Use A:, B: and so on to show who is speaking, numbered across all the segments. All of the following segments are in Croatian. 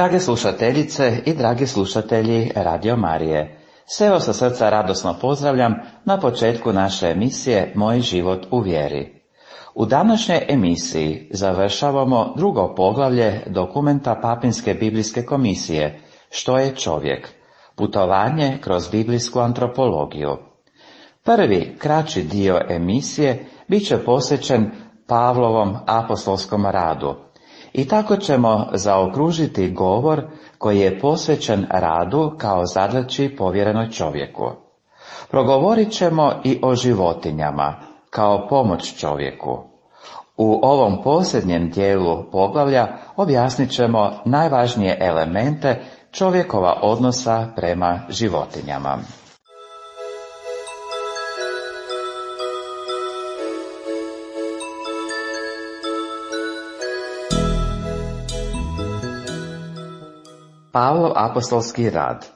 A: Drage slušateljice i dragi slušatelji Radio Marije, sve vas sa srca radosno pozdravljam na početku naše emisije Moj život u vjeri. U današnjoj emisiji završavamo drugo poglavlje dokumenta Papinske biblijske komisije Što je čovjek? Putovanje kroz biblijsku antropologiju. Prvi, kraći dio emisije bit će posvećen Pavlovom apostolskom radu. I tako ćemo zaokružiti govor koji je posvećen radu kao zadaći povjerenoj čovjeku. Progovorit ćemo i o životinjama kao pomoć čovjeku. U ovom posljednjem dijelu poglavlja objasnit ćemo najvažnije elemente čovjekova odnosa prema životinjama. Pavlov apostolski rad.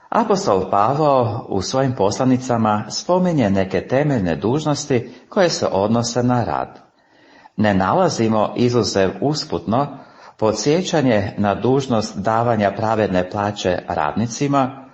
A: Apostol Pavao u svojim poslanicama spominje neke temeljne dužnosti koje se odnose na rad. Ne nalazimo izuzev usputno podsjećanje na dužnost davanja pravedne plaće radnicima.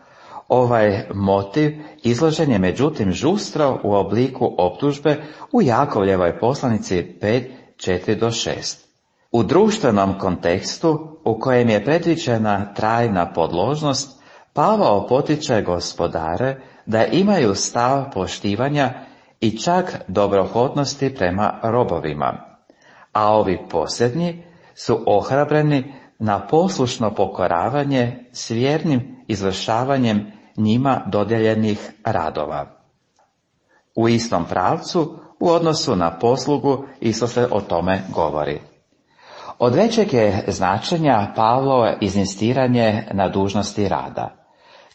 A: Ovaj motiv izložen je međutim žustro u obliku optužbe u Jakovljevoj poslanici 5:4-6. U društvenom kontekstu u kojem je predviđena trajna podložnost, Pavao potiče gospodare da imaju stav poštivanja i čak dobrohotnosti prema robovima, a ovi posljednji su ohrabreni na poslušno pokoravanje s vjernim izvršavanjem njima dodijeljenih radova. U istom pravcu, u odnosu na poslugu, isto se o tome govori. Od većeg je značenja Pavlovo inzistiranje na dužnosti rada.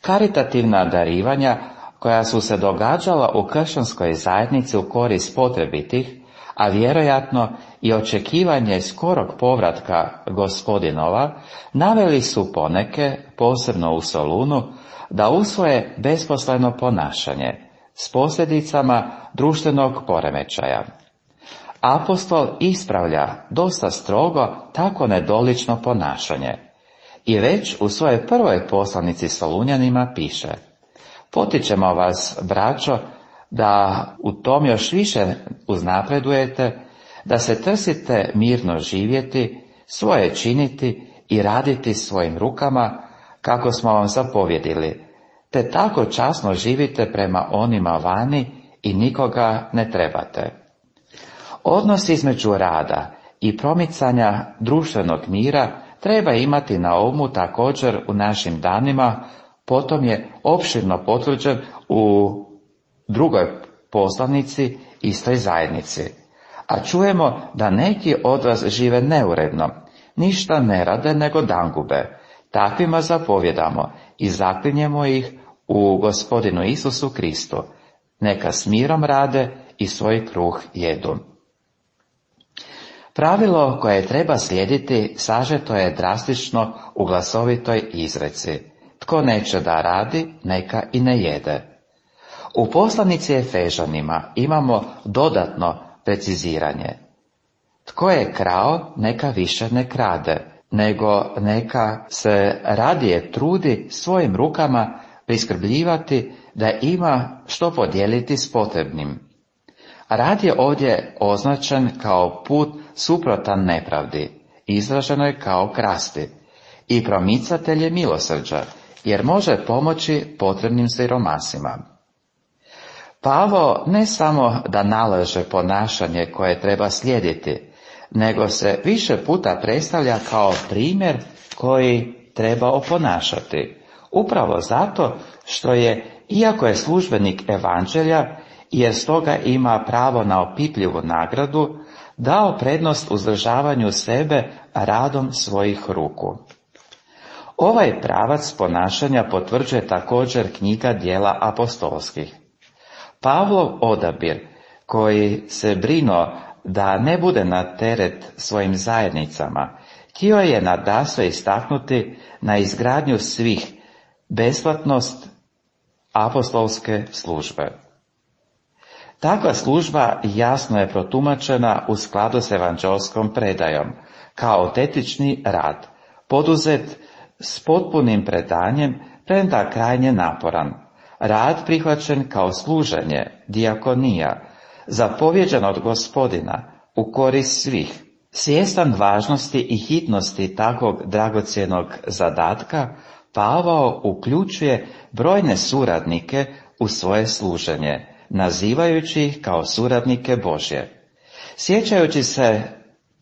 A: Karitativna darivanja koja su se događala u kršćanskoj zajednici u korist potrebitih, a vjerojatno i očekivanje skorog povratka Gospodinova, naveli su poneke, posebno u Solunu, da usvoje besposleno ponašanje s posljedicama društvenog poremećaja. Apostol ispravlja dosta strogo tako nedolično ponašanje i već u svojoj prvoj poslanici Solunjanima piše: potičemo vas, braćo, da u tom još više uznapredujete, da se trsite mirno živjeti, svoje činiti i raditi svojim rukama, kako smo vam zapovjedili, te tako časno živite prema onima vani i nikoga ne trebate. Odnos između rada i promicanja društvenog mira treba imati na umu također u našim danima, potom je opširno potvrđen u drugoj poslanici istoj zajednici. A čujemo da neki od vas žive neuredno, ništa ne rade nego dangube. Takvima zapovjedamo i zaklinjemo ih u Gospodinu Isusu Kristu. Neka s mirom rade i svoj kruh jedu. Pravilo koje treba slijediti sažeto je drastično u glasovitoj izreci: tko neće da radi, neka i ne jede. U poslanici Efežanima imamo dodatno preciziranje: tko je krao, neka više ne krade, nego neka se radije trudi svojim rukama priskrbljivati da ima što podijeliti s potrebnim. Rad je ovdje označen kao put suprotan nepravdi, izraženo je kao krasti, i promicatelj je milosrđa, jer može pomoći potrebnim siromasima. Pavao ne samo da nalaže ponašanje koje treba slijediti, nego se više puta predstavlja kao primjer koji treba oponašati, upravo zato što je, iako je službenik evanđelja, jer stoga ima pravo na opipljivu nagradu, dao prednost uzdržavanju sebe radom svojih ruku. Ovaj pravac ponašanja potvrđuje također knjiga Djela apostolskih. Pavlov odabir, koji se brinuo da ne bude na teret svojim zajednicama, htio je nadasve istaknuti na izgradnju svih besplatnost apostolske službe. Takva služba jasno je protumačena u skladu s evanđelskom predajom, kao autentični rad, poduzet s potpunim predanjem, premda krajnje naporan. Rad prihvaćen kao služenje, dijakonija, zapovjeđen od Gospodina, u korist svih. Svjestan važnosti i hitnosti takvog dragocjenog zadatka, Pavao uključuje brojne suradnike u svoje služenje, nazivajući ih kao suradnike Božje. Sjećajući se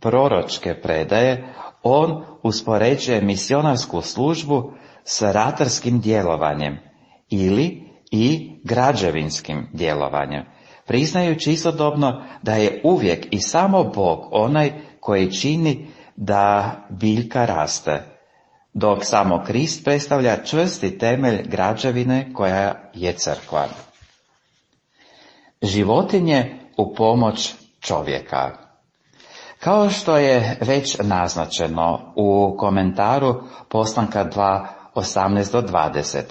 A: proročke predaje, on uspoređuje misionarsku službu s ratarskim djelovanjem ili i građevinskim djelovanjem, priznajući istodobno da je uvijek i samo Bog onaj koji čini da biljka raste, dok samo Krist predstavlja čvrsti temelj građevine koja je crkva. Životinje u pomoć čovjeka. Kao što je već naznačeno u komentaru Poslanka 2:18-20,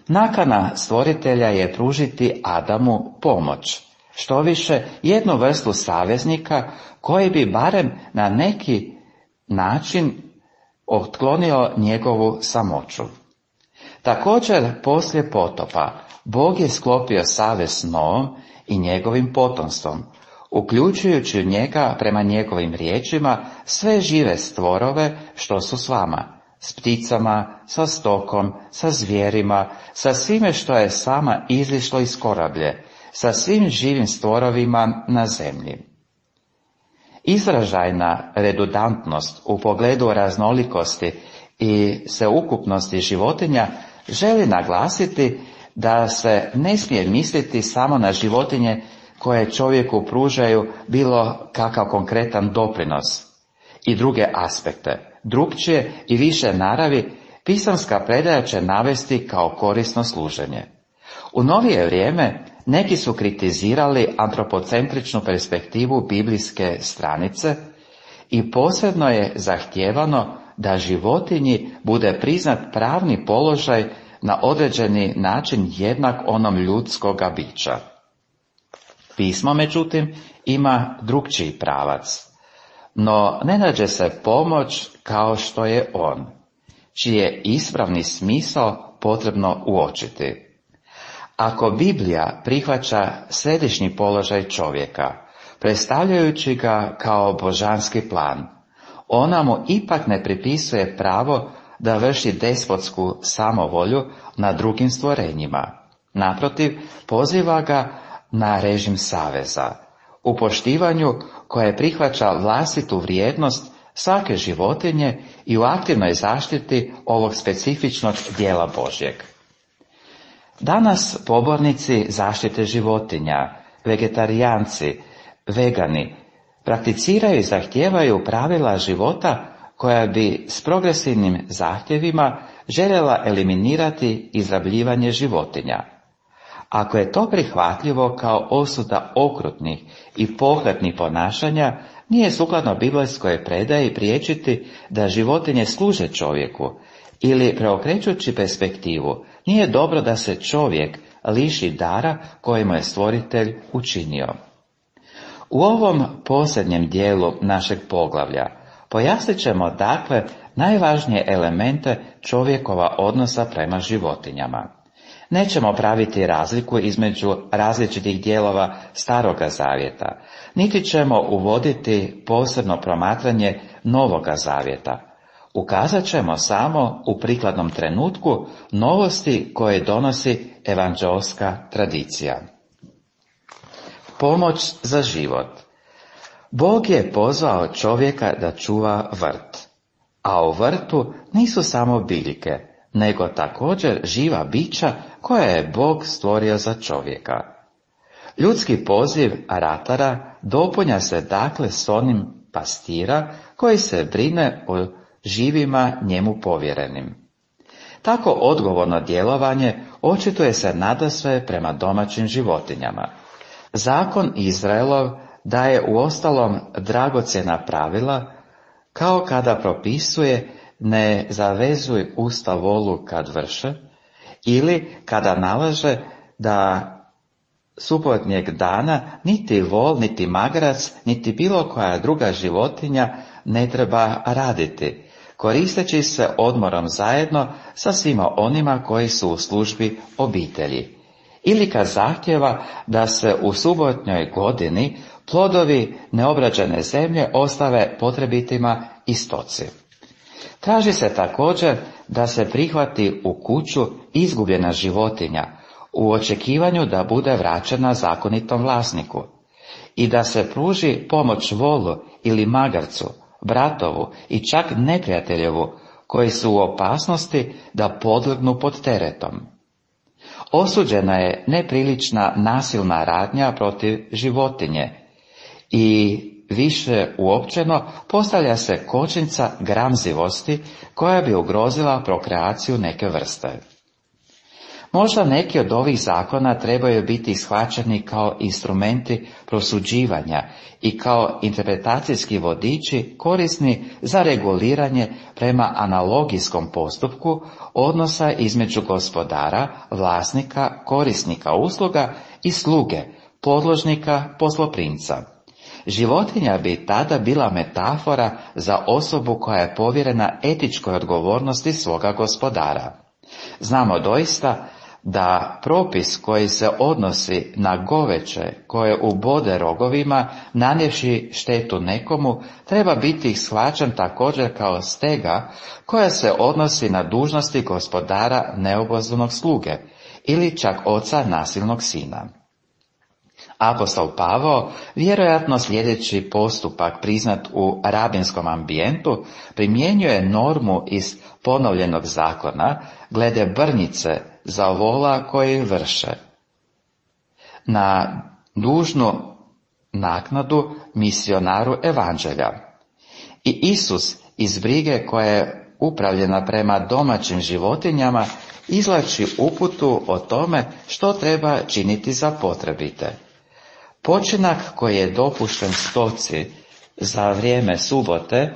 A: nakana stvoritelja je pružiti Adamu pomoć, štoviše jednu vrstu saveznika koji bi barem na neki način otklonio njegovu samoću. Također, poslije potopa, Bog je sklopio savez s Noom i njegovim potomstvom, uključujući u njega, prema njegovim riječima, sve žive stvorove što su s vama, s pticama, sa stokom, sa zvijerima, sa svime što je s vama izišlo iz korablje, sa svim živim stvorovima na zemlji. Izražajna redundantnost u pogledu raznolikosti i sveukupnosti životinja želi naglasiti da se ne smije misliti samo na životinje koje čovjeku pružaju bilo kakav konkretan doprinos i druge aspekte. Drukčije i više naravi pisamska predaja će navesti kao korisno služenje. U novije vrijeme neki su kritizirali antropocentričnu perspektivu biblijske stranice i posebno je zahtijevano da životinji bude priznat pravni položaj na određeni način jednak onom ljudskoga bića. Pismo, međutim, ima drukčiji pravac, no ne nađe se pomoć kao što je on, čiji je ispravni smisao potrebno uočiti. Ako Biblija prihvaća središnji položaj čovjeka, predstavljajući ga kao božanski plan, ona mu ipak ne pripisuje pravo da vrši despotsku samovolju nad drugim stvorenjima. Naprotiv, poziva ga na režim saveza, u poštivanju koje prihvaća vlastitu vrijednost svake životinje i u aktivnoj zaštiti ovog specifičnog dijela Božjeg. Danas pobornici zaštite životinja, vegetarijanci, vegani, prakticiraju i zahtijevaju pravila života koja bi s progresivnim zahtjevima željela eliminirati izrabljivanje životinja. Ako je to prihvatljivo kao osuda okrutnih i pohlepnih ponašanja, nije sukladno biblijskoj predaji priječiti da životinje služe čovjeku, ili preokrećući perspektivu, nije dobro da se čovjek liši dara kojemu je stvoritelj učinio. U ovom posljednjem dijelu našeg poglavlja pojasnit ćemo dakle najvažnije elemente čovjekova odnosa prema životinjama. Nećemo praviti razliku između različitih dijelova Staroga Zavjeta, niti ćemo uvoditi posebno promatranje Novoga Zavjeta. Ukazat ćemo samo u prikladnom trenutku novosti koje donosi evanđeoska tradicija. Pomoć za život. Bog je pozvao čovjeka da čuva vrt, a u vrtu nisu samo biljke, nego također živa bića koja je Bog stvorio za čovjeka. Ljudski poziv ratara dopunja se dakle s onim pastira koji se brine o živima njemu povjerenim. Tako odgovorno djelovanje očituje se nadasve prema domaćim životinjama. Zakon Izraelov daje uostalom dragocjena pravila, kao kada propisuje ne zavezuj usta volu kad vrše, ili kada nalaže da subotnjeg dana niti vol, niti magarac, niti bilo koja druga životinja ne treba raditi, koristeći se odmorom zajedno sa svima onima koji su u službi obitelji. Ili kad zahtjeva da se u subotnjoj godini plodovi neobrađene zemlje ostave potrebitima i stoci. Traži se također da se prihvati u kuću izgubljena životinja u očekivanju da bude vraćena zakonitom vlasniku i da se pruži pomoć volu ili magarcu, bratovu i čak neprijateljevu koji su u opasnosti da podlegnu pod teretom. Osuđena je neprilična nasilna radnja protiv životinje i više uopćeno postavlja se kočnica gramzivosti koja bi ugrozila prokreaciju neke vrste. Možda neki od ovih zakona trebaju biti shvaćeni kao instrumenti prosuđivanja i kao interpretacijski vodiči korisni za reguliranje prema analogijskom postupku odnosa između gospodara, vlasnika, korisnika usluga i sluge, podložnika, posloprimca. Životinja bi tada bila metafora za osobu koja je povjerena etičkoj odgovornosti svoga gospodara. Znamo doista da propis koji se odnosi na goveće koje ubode rogovima nanijevši štetu nekomu treba biti shvaćen također kao stega koja se odnosi na dužnosti gospodara neobozdanog sluge ili čak oca nasilnog sina. Apostol Pavao, vjerojatno sljedeći postupak priznat u rabinskom ambijentu, primjenjuje normu iz ponovljenog zakona glede brnjice za vola koji vrše na dužnu naknadu misionaru evanđelja. I Isus iz brige koja je upravljena prema domaćim životinjama izvlači uputu o tome što treba činiti za potrebite. Počinak koji je dopušten stoci za vrijeme subote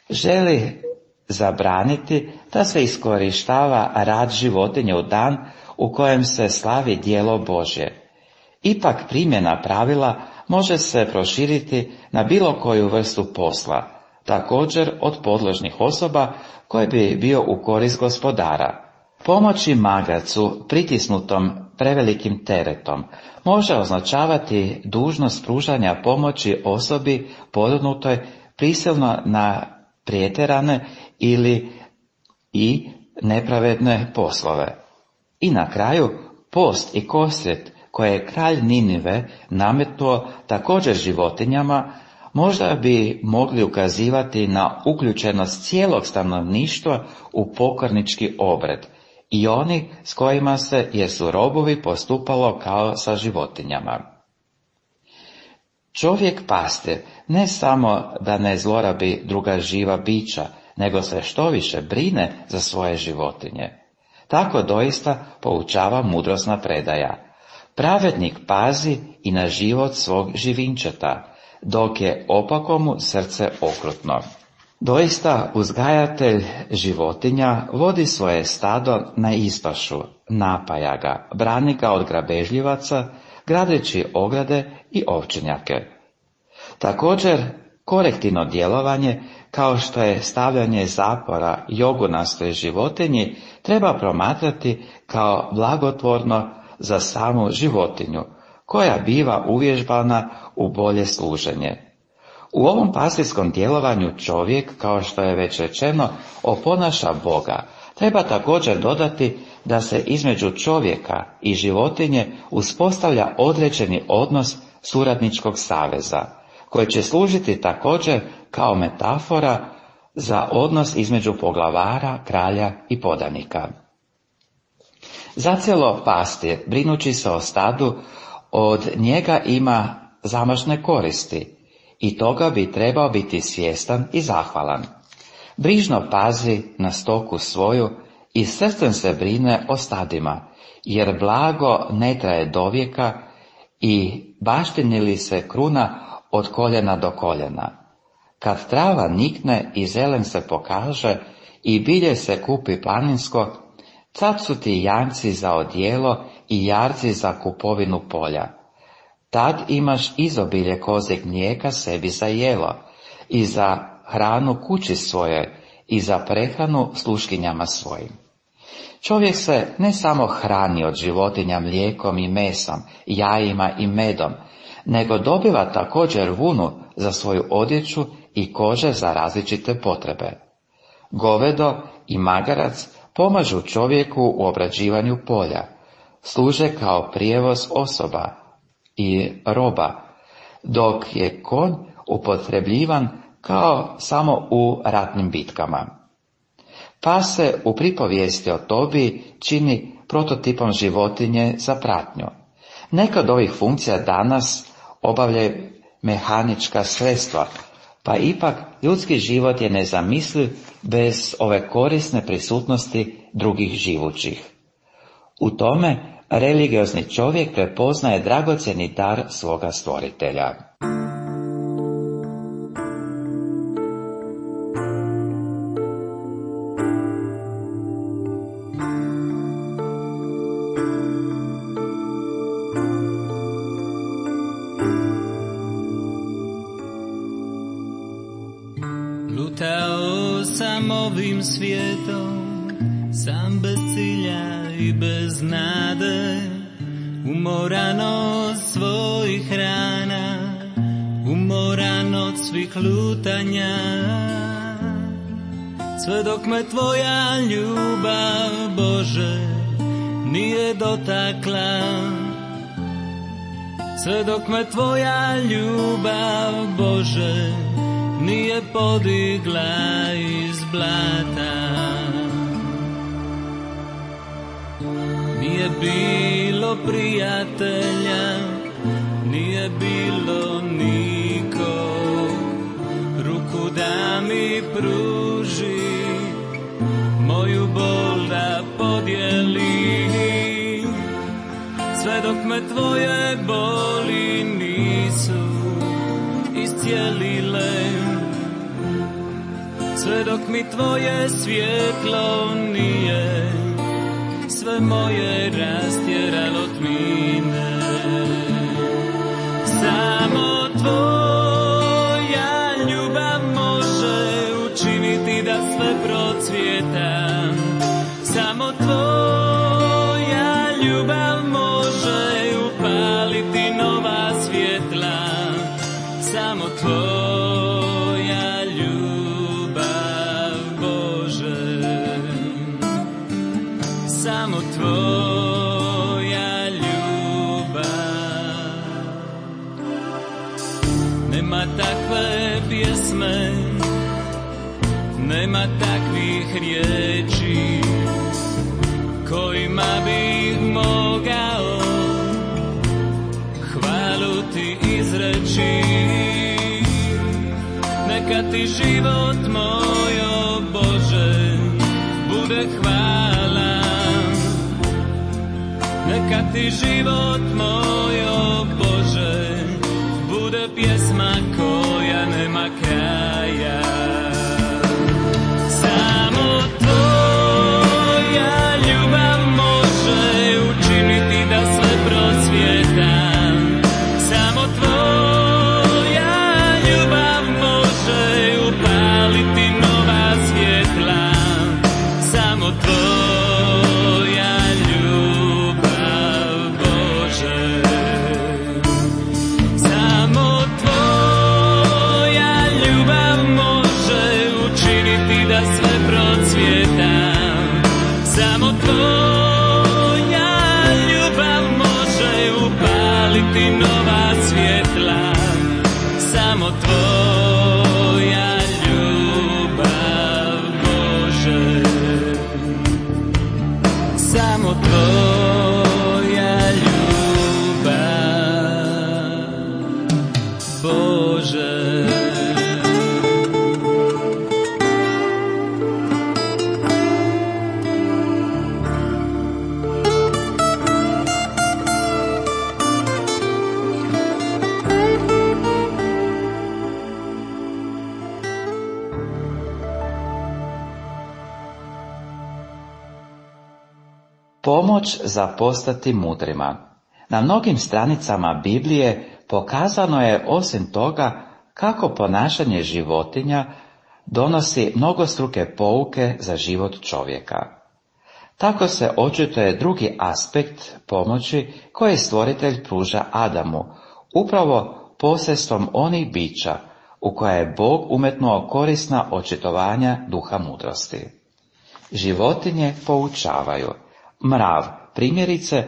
A: želi zabraniti da se iskorištava rad životinje u dan u kojem se slavi djelo Božje. Ipak primjena pravila može se proširiti na bilo koju vrstu posla, također od podložnih osoba koje bi bio u korist gospodara. Pomoći magarcu pritisnutom prevelikim teretom može označavati dužnost pružanja pomoći osobi podvrgnutoj prisilno na pretjerane ili i nepravedne poslove. I na kraju post i kosret koje je kralj Ninive nametnuo također životinjama možda bi mogli ukazivati na uključenost cijelog stanovništva u pokornički obred i oni s kojima se jer su robovi postupalo kao sa životinjama. Čovjek pastir ne samo da ne zlorabi druga živa bića, nego se štoviše brine za svoje životinje. Tako doista poučava mudrosna predaja. Pravednik pazi i na život svog živinčeta, dok je opakomu srce okrutno. Doista uzgajatelj životinja vodi svoje stado na ispašu, napaja ga, brani ga od grabežljivaca, gradeći ograde i ovčinjake. Također, korektivno djelovanje, kao što je stavljanje zapora jogunastoj životinji, treba promatrati kao blagotvorno za samu životinju, koja biva uvježbana u bolje služenje. U ovom pastirskom djelovanju čovjek, kao što je već rečeno, oponaša Boga. Treba također dodati da se između čovjeka i životinje uspostavlja određeni odnos suradničkog saveza, koji će služiti također kao metafora za odnos između poglavara, kralja i podanika. Zacijelo pastir, brinući se o stadu, od njega ima zamašne koristi i toga bi trebao biti svjestan i zahvalan. Brižno pazi na stoku svoju i srcem se brine o stadima, jer blago ne traje dovijeka i baštini li se kruna od koljena do koljena. Kad trava nikne i zelen se pokaže i bilje se kupi planinsko, tad su ti janjci za odijelo i jarci za kupovinu polja. Tad imaš izobilje kozjeg mlijeka sebi za jelo i za hranu kući svoje i za prehranu sluškinjama svojim. Čovjek se ne samo hrani od životinja mlijekom i mesom, jajima i medom, nego dobiva također vunu za svoju odjeću i kože za različite potrebe. Govedo i magarac pomažu čovjeku u obrađivanju polja, služe kao prijevoz osoba i roba, dok je konj upotrebljivan kao samo u ratnim bitkama. Pas se u pripovijesti o Tobiji čini prototipom životinje za pratnju. Neka od ovih funkcija danas obavljaju mehanička sredstva, pa ipak ljudski život je nezamisliv bez ove korisne prisutnosti drugih živućih. U tome religiozni čovjek prepoznaje dragocjeni dar svoga stvoritelja.
B: Lutao sam ovim svijetom, sam bez cilja i bez nade, umoran od svojih rana, umoran od svih lutanja. Sve dok me tvoja ljubav, Bože, nije dotakla, sve dok me tvoja ljubav, Bože, nije podigla iz blata. Nije bilo prijatelja, nije bilo nikog, ruku da mi pruži, moju bol da podijeli. Sve dok me tvoje boli nisu iscijelile, sve dok mi tvoje svjetlo nije sve moje rastjeralo tmine. Samo tvoja ljubav može učiniti da sve procvjeta. Samo tvoja ljubav može upaliti nova svjetla. Samo tvoja ljubav, Bože, samo tvoja ljubav. Nema takve pjesme, nema takvih riječi kojima bih mogao hvalu ti izreći. Neka ti život moj, o Bože, bude hvala. Neka ti život moj, o Bože, bude pjesma koja nema kraja. Samo tvoja ljubav može učiniti da sve procvjeta. Samo tvoja ljubav može upaliti nova svjetla. Samo tvoja ljubav, Bože, samo tvoja ljubav može učiniti da sve procvjeta. Samo tvoja ljubav može upaliti nova svjetla. Samo tvoja ljubav, Bože, samo tvoja ljubav, Bože.
A: Pomoć za postati mudrima. Na mnogim stranicama Biblije pokazano je osim toga kako ponašanje životinja donosi mnogostruke pouke za život čovjeka. Tako se očituje drugi aspekt pomoći koje stvoritelj pruža Adamu, upravo posredstvom onih bića u koja je Bog umetnuo korisna očitovanja duha mudrosti. Životinje poučavaju. Mrav, primjerice,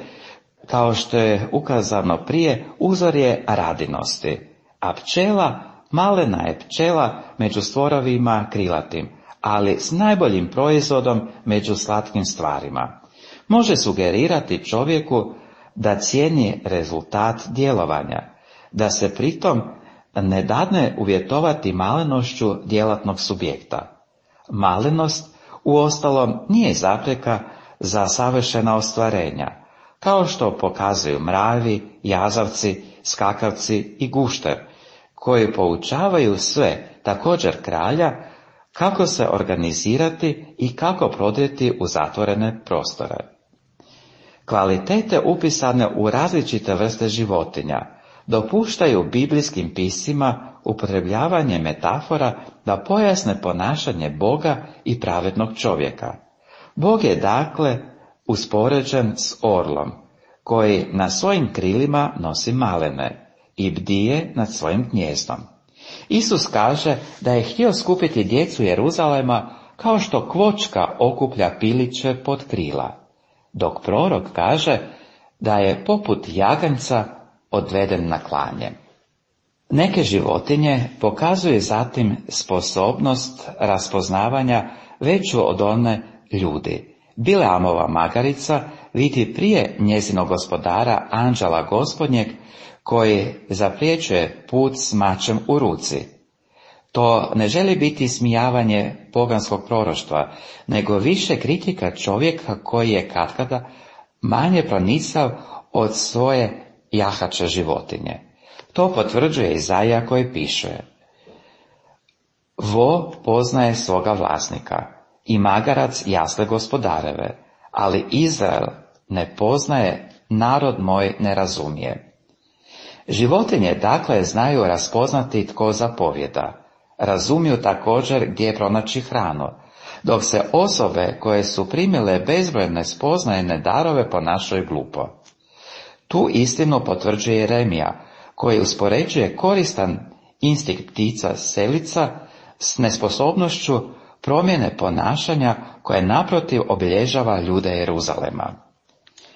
A: kao što je ukazano prije, uzor je radinosti, a pčela, malena je pčela među stvorovima krilatim, ali s najboljim proizvodom među slatkim stvarima. Može sugerirati čovjeku da cijeni rezultat djelovanja, da se pritom ne dadne uvjetovati malenošću djelatnog subjekta. Malenost, uostalom, nije zapreka za savršena ostvarenja, kao što pokazuju mravi, jazavci, skakavci i gušter, koji poučavaju sve, također kralja, kako se organizirati i kako prodrijeti u zatvorene prostore. Kvalitete upisane u različite vrste životinja dopuštaju biblijskim piscima upotrebljavanje metafora da pojasne ponašanje Boga i pravednog čovjeka. Bog je dakle uspoređen s orlom, koji na svojim krilima nosi malene i bdije nad svojim gnjezdom. Isus kaže da je htio skupiti djecu Jeruzalema kao što kvočka okuplja piliće pod krila, dok prorok kaže da je poput jaganjca odveden na klanje. Neke životinje pokazuju zatim sposobnost raspoznavanja veću od one ljudi. Bileamova magarica vidi prije njezinog gospodara anđela gospodnjeg koji zapriječuje put s mačem u ruci. To ne želi biti ismijavanje poganskog proroštva, nego više kritika čovjeka koji je katkada manje pronicav od svoje jahače životinje. To potvrđuje Izaija koji piše: Vo poznaje svoga vlasnika i magarac jasle gospodareve, ali Izrael ne poznaje, narod moj ne razumije. Životinje dakle znaju raspoznati tko zapovjeda, razumiju također gdje pronaći hranu, dok se osobe koje su primile bezbrojne spoznajne darove ponašaju glupo. Tu istinu potvrđuje Jeremija, koji uspoređuje koristan instinkt ptica selica s nesposobnošću promjene ponašanja koje naprotiv obilježava ljude Jeruzalema.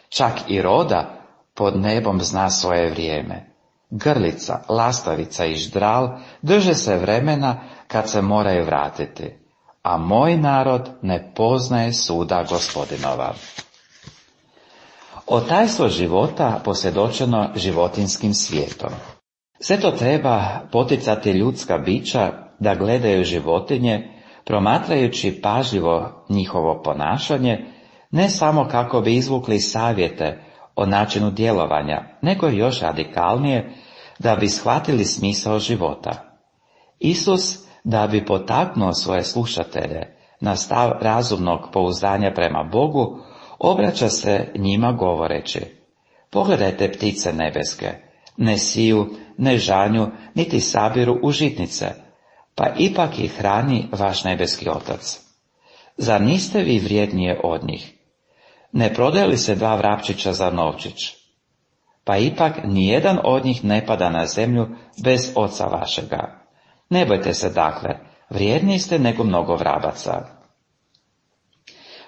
A: Čak i roda pod nebom zna svoje vrijeme. Grlica, lastavica i ždral drže se vremena kad se moraju vratiti, a moj narod ne poznaje suda Gospodinova. O tajstvo života posvjedočeno životinjskim svijetom. Sve to treba poticati ljudska bića da gledaju životinje, promatrajući pažljivo njihovo ponašanje, ne samo kako bi izvukli savjete o načinu djelovanja, nego još radikalnije, da bi shvatili smisao života. Isus, da bi potaknuo svoje slušatelje na stav razumnog pouzdanja prema Bogu, obraća se njima govoreći: Pogledajte ptice nebeske, ne siju, ne žanju, niti sabiru u žitnice, pa ipak ih hrani vaš nebeski Otac. Zar niste vi vrijednije od njih? Ne prodaje li se 2 vrapčića za novčić? Pa ipak nijedan od njih ne pada na zemlju bez Oca vašega. Ne bojte se dakle, vrijedniji ste nego mnogo vrabaca.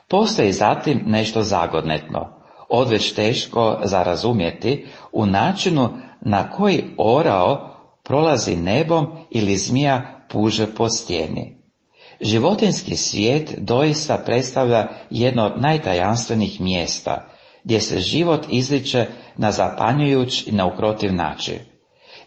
A: Postoji zatim nešto zagodnetno, odveć teško za razumjeti, u načinu na koji orao prolazi nebom ili zmija puže po stijeni. Životinjski svijet doista predstavlja jedno od najtajanstvenih mjesta, gdje se život izliče na zapanjujuć i neukrotiv način.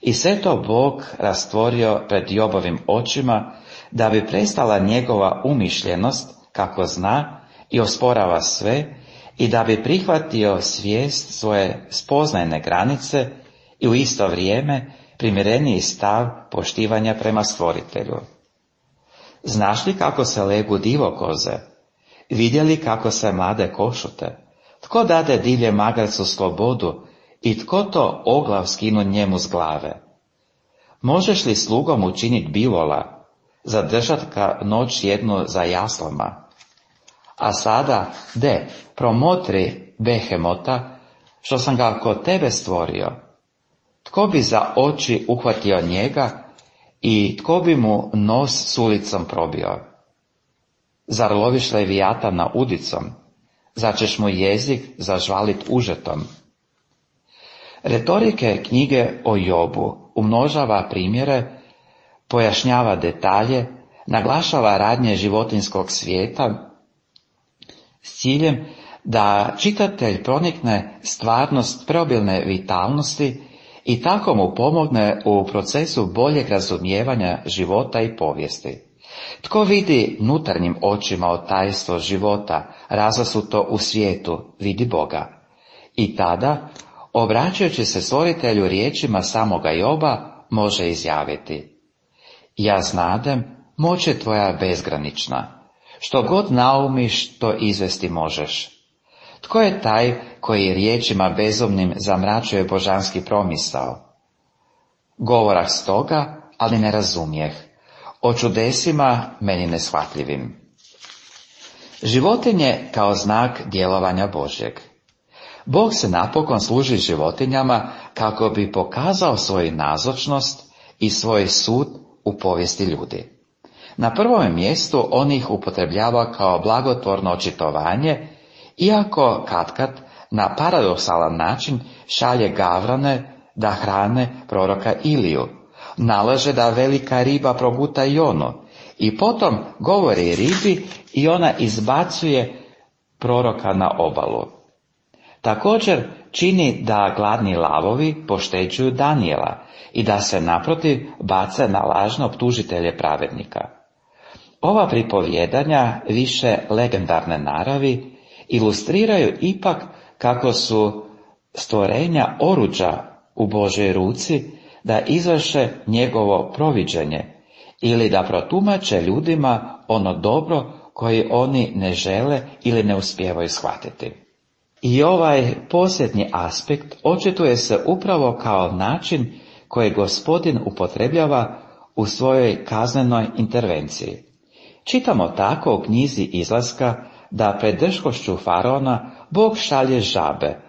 A: I sve to Bog rastvorio pred Jobovim očima, da bi prestala njegova umišljenost, kako zna i osporava sve, i da bi prihvatio svijest svoje spoznajne granice i u isto vrijeme primjereniji stav poštivanja prema Stvoritelju. Znaš li kako se legu divokoze? Vidjeli kako se mlade košute? Tko dade divlje magarcu slobodu i tko to oglav skinu njemu s glave? Možeš li slugom učiniti bivola? zadržat ga noć jednu za jaslama. A sada, promotri Behemota, što sam ga kod tebe stvorio. Tko bi za oči uhvatio njega i tko bi mu nos s ulicom probio? Zar loviš Levijatana udicom? Zar ćeš mu jezik zažvalit užetom? Retorike knjige o Jobu umnožava primjere, pojašnjava detalje, naglašava radnje životinjskog svijeta s ciljem da čitatelj pronikne stvarnost preobilne vitalnosti i tako mu pomogne u procesu boljeg razumijevanja života i povijesti. Tko vidi nutarnjim očima tajstvo života, razasuto u svijetu, vidi Boga. I tada, obraćajući se stvoritelju riječima samoga Joba, može izjaviti: ja znadem, moć je tvoja bezgranična. Što god naumiš, to izvesti možeš. Tko je taj koji riječima bezumnim zamračuje božanski promisao? Govorah stoga, ali ne razumijeh. O čudesima meni neshvatljivim. Životinje kao znak djelovanja Božjeg. Bog se napokon služi životinjama kako bi pokazao svoju nazočnost i svoj sud u povijesti ljudi. Na prvom mjestu on ih upotrebljava kao blagotvorno očitovanje, iako katkad na paradoksalan način šalje gavrane da hrane proroka Iliju, nalaže da velika riba proguta Jonu i potom govori ribi i ona izbacuje proroka na obalu. Također čini da gladni lavovi pošteđuju Danijela i da se naprotiv bace na lažno optužitelje pravednika. Ova pripovjedanja, više legendarne naravi, ilustriraju ipak kako su stvorenja oruđa u Božoj ruci da izvrše njegovo proviđenje ili da protumače ljudima ono dobro koje oni ne žele ili ne uspijevaju shvatiti. I ovaj posljednji aspekt očituje se upravo kao način koji Gospodin upotrebljava u svojoj kaznenoj intervenciji. Čitamo tako u knjizi Izlaska da pred drskošću faraona Bog šalje žabe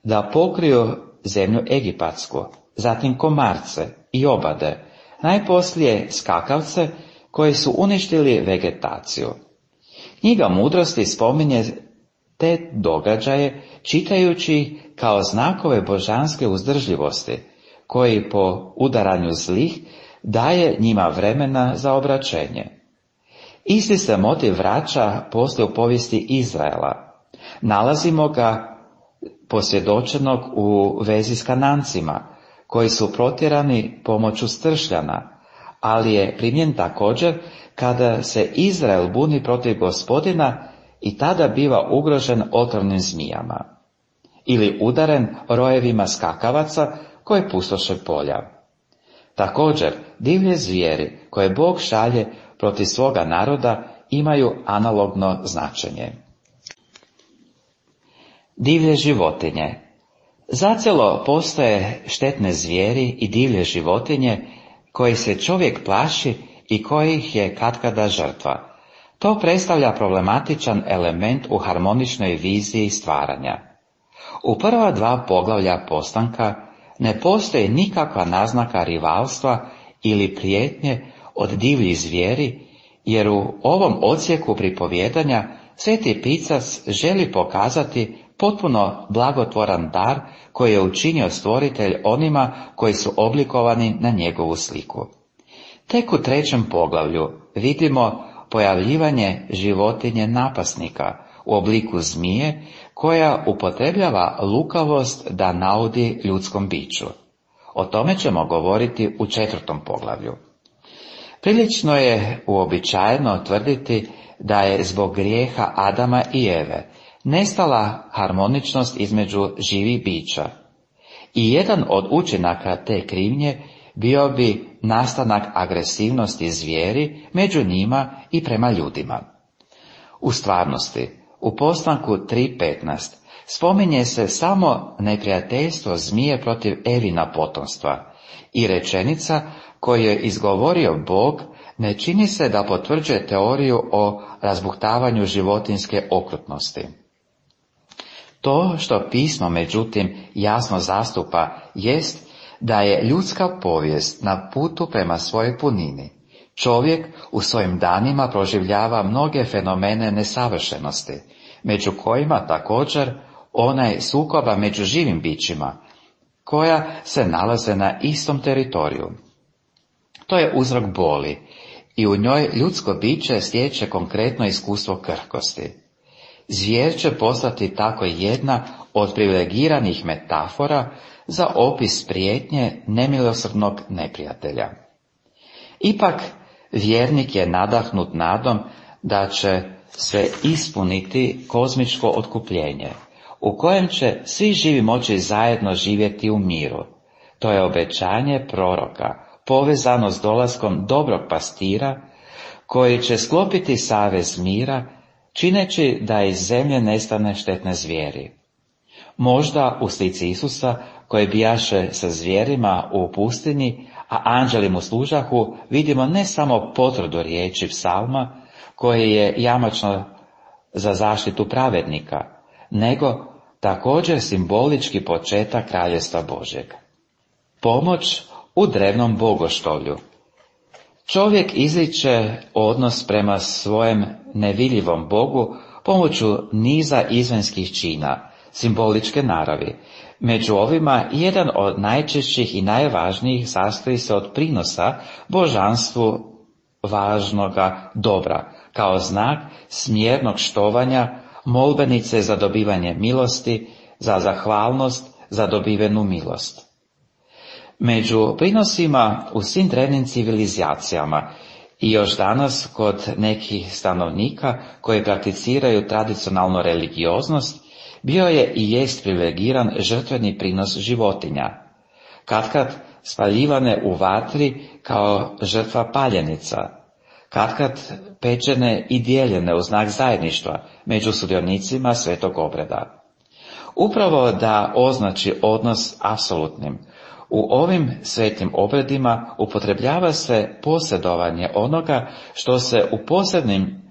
A: da pokriju zemlju egipatsku, zatim komarce i obade, najposlije skakavce koji su uništili vegetaciju. Knjiga Mudrosti spominje te događaje čitajući kao znakove božanske uzdržljivosti, koji po udaranju zlih daje njima vremena za obraćenje. Isti se motiv vraća poslije u povijesti Izraela. Nalazimo ga posvjedočenog u vezi s Kanancima, koji su protjerani pomoću stršljana, ali je primjen također kada se Izrael buni protiv Gospodina i tada biva ugrožen otrovnim zmijama, ili udaren rojevima skakavaca koje pustoše polja. Također, divlje zvijeri koje Bog šalje protiv svoga naroda imaju analogno značenje. Divlje životinje. Zacijelo postoje štetne zvijeri i divlje životinje koji se čovjek plaši i kojih je katkada žrtva. To predstavlja problematičan element u harmoničnoj viziji stvaranja. U prva dva poglavlja postanka ne postoji nikakva naznaka rivalstva ili prijetnje od divljih zvijeri, jer u ovom odsjeku pripovijedanja Sveti Pisac želi pokazati potpuno blagotvoran dar koji je učinio stvoritelj onima koji su oblikovani na njegovu sliku. Tek u trećem poglavlju vidimo pojavljivanje životinje napasnika u obliku zmije koja upotrebljava lukavost da naudi ljudskom biću. O tome ćemo govoriti u četvrtom poglavlju. Prilično je uobičajeno tvrditi da je zbog grijeha Adama i Eve nestala harmoničnost između živih bića. I jedan od učinaka te krivnje bio bi nastanak agresivnosti zvijeri među njima i prema ljudima. U stvarnosti, u postanku 3.15 spominje se samo neprijateljstvo zmije protiv Evina potomstva i rečenica koju je izgovorio Bog ne čini se da potvrđuje teoriju o razbuhtavanju životinjske okrutnosti. To što pismo, međutim, jasno zastupa jest da je ljudska povijest na putu prema svojoj punini. Čovjek u svojim danima proživljava mnoge fenomene nesavršenosti, među kojima također onaj sukoba među živim bićima, koja se nalaze na istom teritoriju. To je uzrok boli i u njoj ljudsko biće stječe konkretno iskustvo krhkosti. Zvijer će postati tako jedna od privilegiranih metafora za opis prijetnje nemilosrdnog neprijatelja. Ipak, vjernik je nadahnut nadom da će se ispuniti kozmičko otkupljenje, u kojem će svi živi moći zajedno živjeti u miru. To je obećanje proroka, povezano s dolaskom dobrog pastira, koji će sklopiti savez mira, čineći da iz zemlje nestane štetne zvijeri. Možda u slici Isusa, koji bijaše sa zvijerima u pustinji, a anđeli mu služahu, vidimo ne samo potvrdu riječi psalma, koje je jamačno za zaštitu pravednika, nego također simbolički početak Kraljevstva Božjeg. Pomoć u drevnom bogoštolju. Čovjek izriče odnos prema svojem nevidljivom Bogu pomoću niza izvanjskih čina, simboličke naravi. Među ovima jedan od najčešćih i najvažnijih sastoji se od prinosa božanstvu važnoga dobra, kao znak smjernog štovanja, molbenice za dobivanje milosti, za zahvalnost za dobivenu milost. Među prinosima u svim drevnim civilizacijama i još danas kod nekih stanovnika koji prakticiraju tradicionalnu religioznost, bio je i jest privilegiran žrtveni prinos životinja, katkad spaljivane u vatri kao žrtva paljenica, katkad pečene i dijeljene u znak zajedništva među sudionicima svetog obreda. Upravo da označi odnos apsolutnim, u ovim svetim obredima upotrebljava se posjedovanje onoga što se u posebnim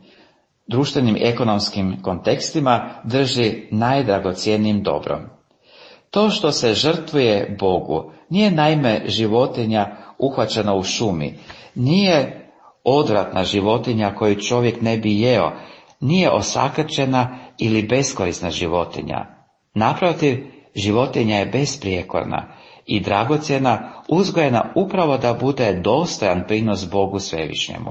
A: društvenim ekonomskim kontekstima drži najdragocjenijim dobrom. To što se žrtvuje Bogu nije naime životinja uhvaćena u šumi, nije odvratna životinja koju čovjek ne bi jeo, nije osakaćena ili beskorisna životinja. Naprotiv, životinja je besprijekorna i dragocjena, uzgojena upravo da bude dostojan prinos Bogu svevišnjemu.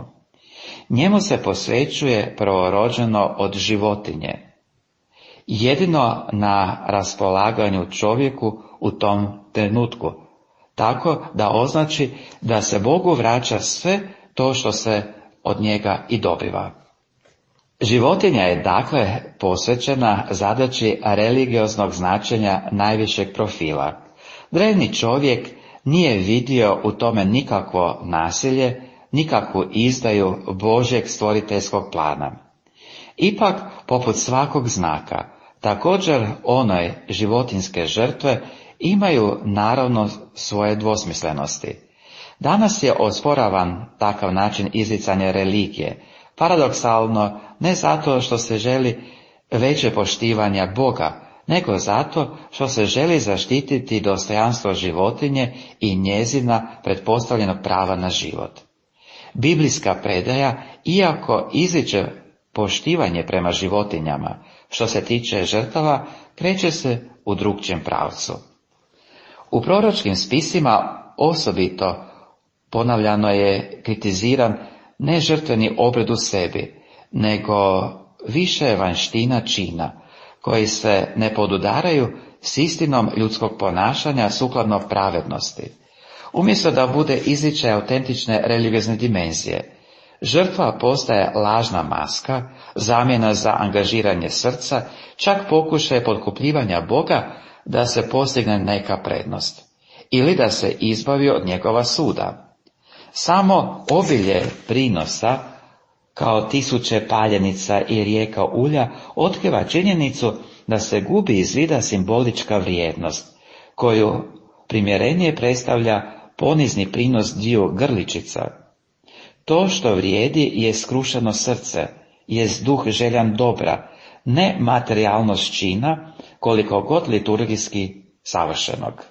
A: Njemu se posvećuje prvorođeno od životinje, jedino na raspolaganju čovjeku u tom trenutku, tako da označi da se Bogu vraća sve to što se od njega i dobiva. Životinja je dakle posvećena zadaći religioznog značenja najvišeg profila. Drevni čovjek nije vidio u tome nikakvo nasilje, nikakvu izdaju Božjeg stvoriteljskog plana. Ipak, poput svakog znaka, također onoj životinjske žrtve imaju naravno svoje dvosmislenosti. Danas je osporavan takav način izricanja religije, paradoksalno ne zato što se želi veće poštivanja Boga, nego zato što se želi zaštititi dostojanstvo životinje i njezina pretpostavljenog prava na život. Biblijska predaja, iako izriče poštivanje prema životinjama, što se tiče žrtava, kreće se u drugčijem pravcu. U proročkim spisima osobito ponavljano je kritiziran ne žrtveni obred u sebi, nego više vanjština čina, koji se ne podudaraju s istinom ljudskog ponašanja sukladno pravednosti. Umjesto da bude izričaj autentične religiozne dimenzije, žrtva postaje lažna maska, zamjena za angažiranje srca, čak pokušaj potkupljivanja Boga da se postigne neka prednost, ili da se izbavi od njegova suda. Samo obilje prinosa, kao tisuće paljenica i rijeka ulja, otkriva činjenicu da se gubi iz vida simbolička vrijednost, koju primjerenije predstavlja ponizni prinos dviju grličica. To što vrijedi je skrušeno srce, jest duh željan dobra, ne materijalnost čina, koliko god liturgijski savršenog.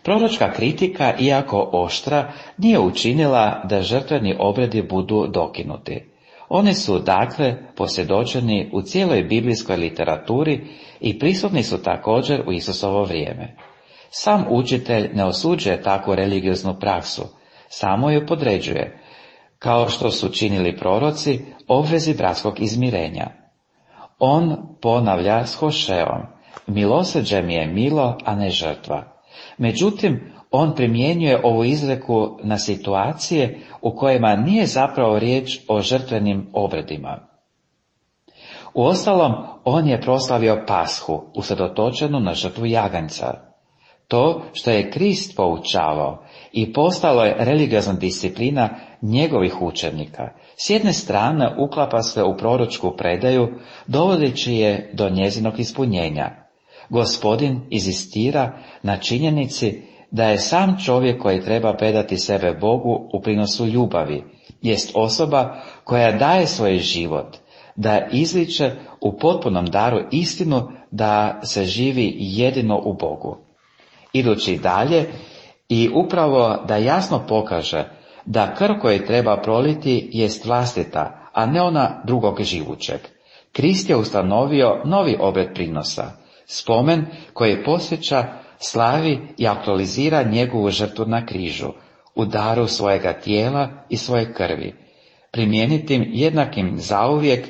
A: Proročka kritika, iako oštra, nije učinila da žrtveni obredi budu dokinuti. Oni su, dakle, posvjedočeni u cijeloj biblijskoj literaturi i prisutni su također u Isusovo vrijeme. Sam učitelj ne osuđuje takvu religioznu praksu, samo ju podređuje, kao što su činili proroci, obvezi bratskog izmirenja. On ponavlja s Hošeom: milosrđe mi je milo, a ne žrtva. Međutim, on primjenjuje ovu izreku na situacije u kojima nije zapravo riječ o žrtvenim obredima. Uostalom, on je proslavio Pashu, usredotočenu na žrtvu jaganjca. To što je Krist poučavao i postalo je religiozna disciplina njegovih učenika, s jedne strane uklapa se u proročku predaju, dovodeći je do njezinog ispunjenja. Gospodin inzistira na činjenici da je sam čovjek koji treba predati sebe Bogu u prinosu ljubavi, jest osoba koja daje svoj život, da izliče u potpunom daru istinu da se živi jedino u Bogu. Idući dalje, i upravo da jasno pokaže da krv koju treba proliti jest vlastita, a ne ona drugog živućeg. Krist je ustanovio novi obred prinosa, spomen koji posjeća, slavi i aktualizira njegovu žrtvu na križu, u daru svojega tijela i svoje krvi, primjenitim jednakim zauvijek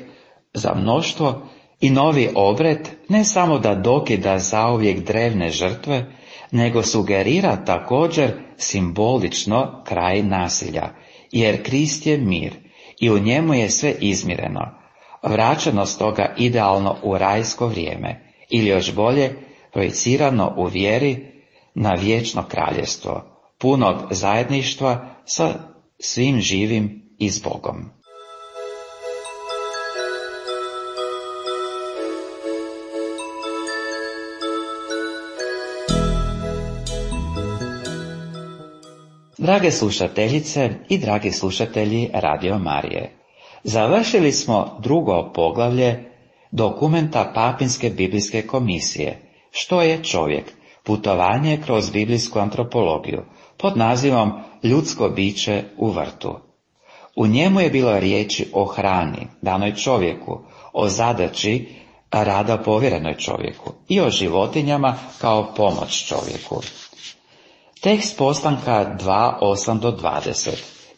A: za mnoštvo, i novi obred ne samo da dokida zauvijek drevne žrtve, nego sugerira također simbolično kraj nasilja, jer Krist je mir i u njemu je sve izmireno, vraćeno stoga idealno u rajsko vrijeme, ili još bolje, projicirano u vjeri na vječno kraljevstvo, punog zajedništva sa svim živim i s Bogom. Drage slušateljice i dragi slušatelji Radio Marije, završili smo drugo poglavlje dokumenta Papinske biblijske komisije, što je čovjek, putovanje kroz biblijsku antropologiju, pod nazivom Ljudsko biće u vrtu. U njemu je bilo riječi o hrani, danoj čovjeku, o zadaći rada povjerenoj čovjeku i o životinjama kao pomoć čovjeku. Tekst Postanka 2:8-20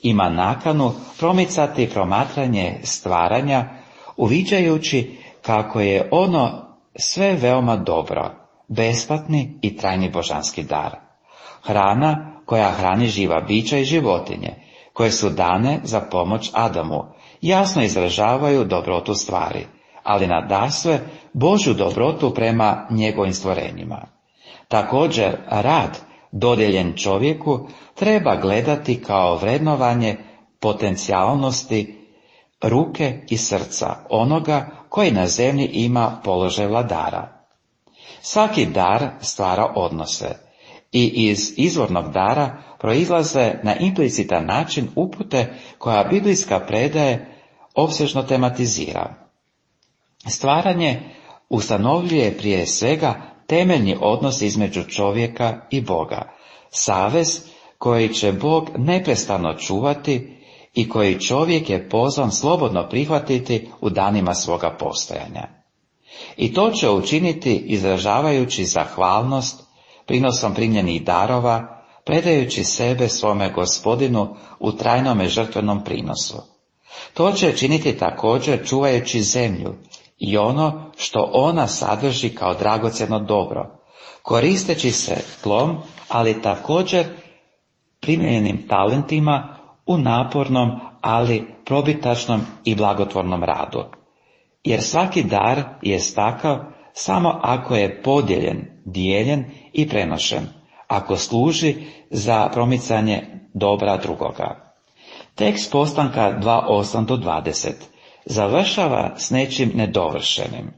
A: ima nakanu promicati promatranje stvaranja, uviđajući kako je ono sve veoma dobro, besplatni i trajni božanski dar. Hrana koja hrani živa bića i životinje, koje su dane za pomoć Adamu, jasno izražavaju dobrotu stvari, ali nadasve Božju dobrotu prema njegovim stvorenjima. Također, rad dodijeljen čovjeku treba gledati kao vrednovanje potencijalnosti ruke i srca onoga koji na zemlji ima položaj vladara. Svaki dar stvara odnose i iz izvornog dara proizlaze na implicitan način upute koja biblijska predaje opsežno tematizira. Stvaranje ustanovljuje prije svega temeljni odnos između čovjeka i Boga, savez koji će Bog neprestano čuvati i koji čovjek je pozvan slobodno prihvatiti u danima svoga postojanja. I to će učiniti izražavajući zahvalnost, prinosom primljenih darova, predajući sebe svome Gospodinu u trajnome žrtvenom prinosu. To će činiti također čuvajući zemlju i ono što ona sadrži kao dragocjeno dobro, koristeći se tlom, ali također primljenim talentima u napornom, ali probitačnom i blagotvornom radu. Jer svaki dar je takav samo ako je podijeljen, dijeljen i prenošen, ako služi za promicanje dobra drugoga. Tekst Postanka 2:8-20 završava s nečim nedovršenim.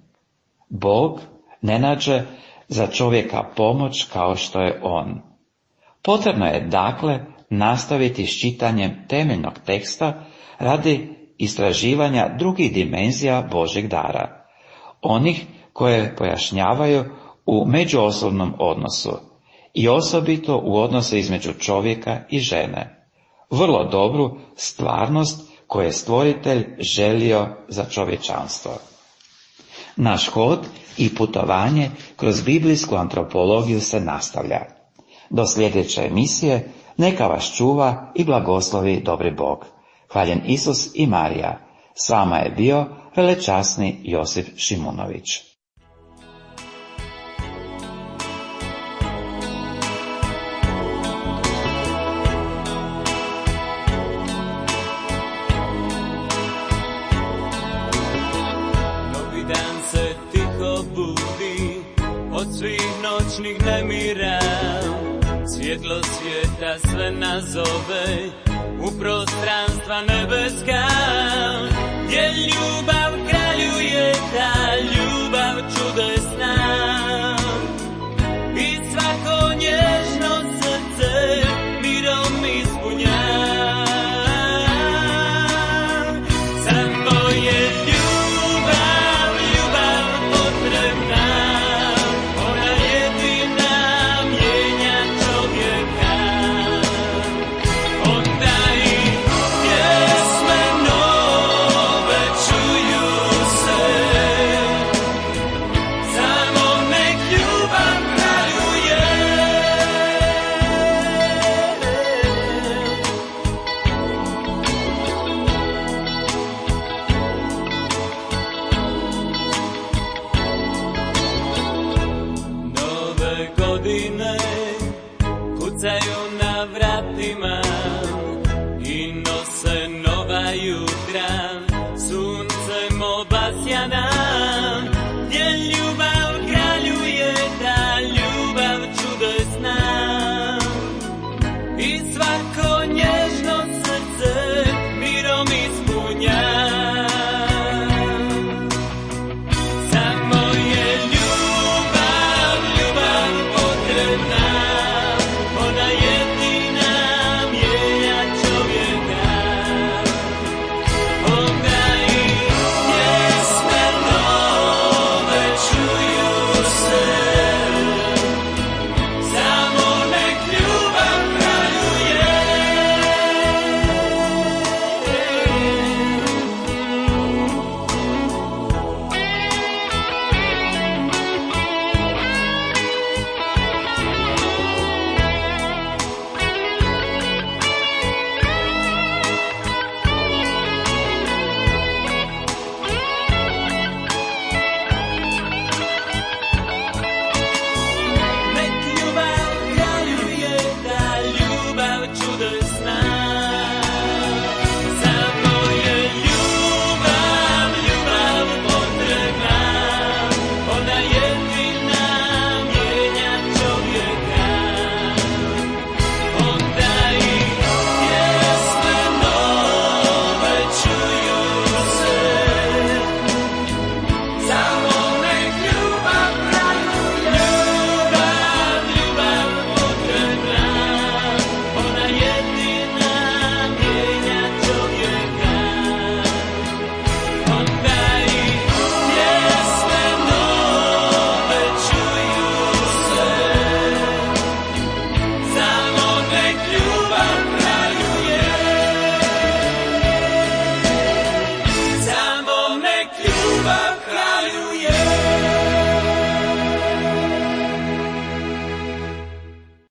A: Bog ne nađe za čovjeka pomoć kao što je on. Potrebno je, dakle, nastaviti s čitanjem temeljnog teksta radi istraživanja drugih dimenzija Božjeg dara, onih koje pojašnjavaju u međuosobnom odnosu i osobito u odnosu između čovjeka i žene, vrlo dobru stvarnost koju je Stvoritelj želio za čovječanstvo. Naš hod i putovanje kroz biblijsku antropologiju se nastavlja. Do sljedeće emisije neka vas čuva i blagoslovi dobri Bog. Hvaljen Isus i Marija. S vama je bio velečasni Josip Šimunović.
B: Novi dan se tiho budi od svih noćnih nemira. Svjetlo svijeta sve nazove u prostranstva nebeska, gdje ljubav kraljuje, ta ljubav čudesna. I svako nježno srce mirom ispunja. Samo je ljubav, ljubav potrebna. Ona jedina mijenja čovjeka. Onda i pjesme nove čuju se. Samo nek ljubav kraljuje. Nove godine kucaju na vratima i nose nova jutra.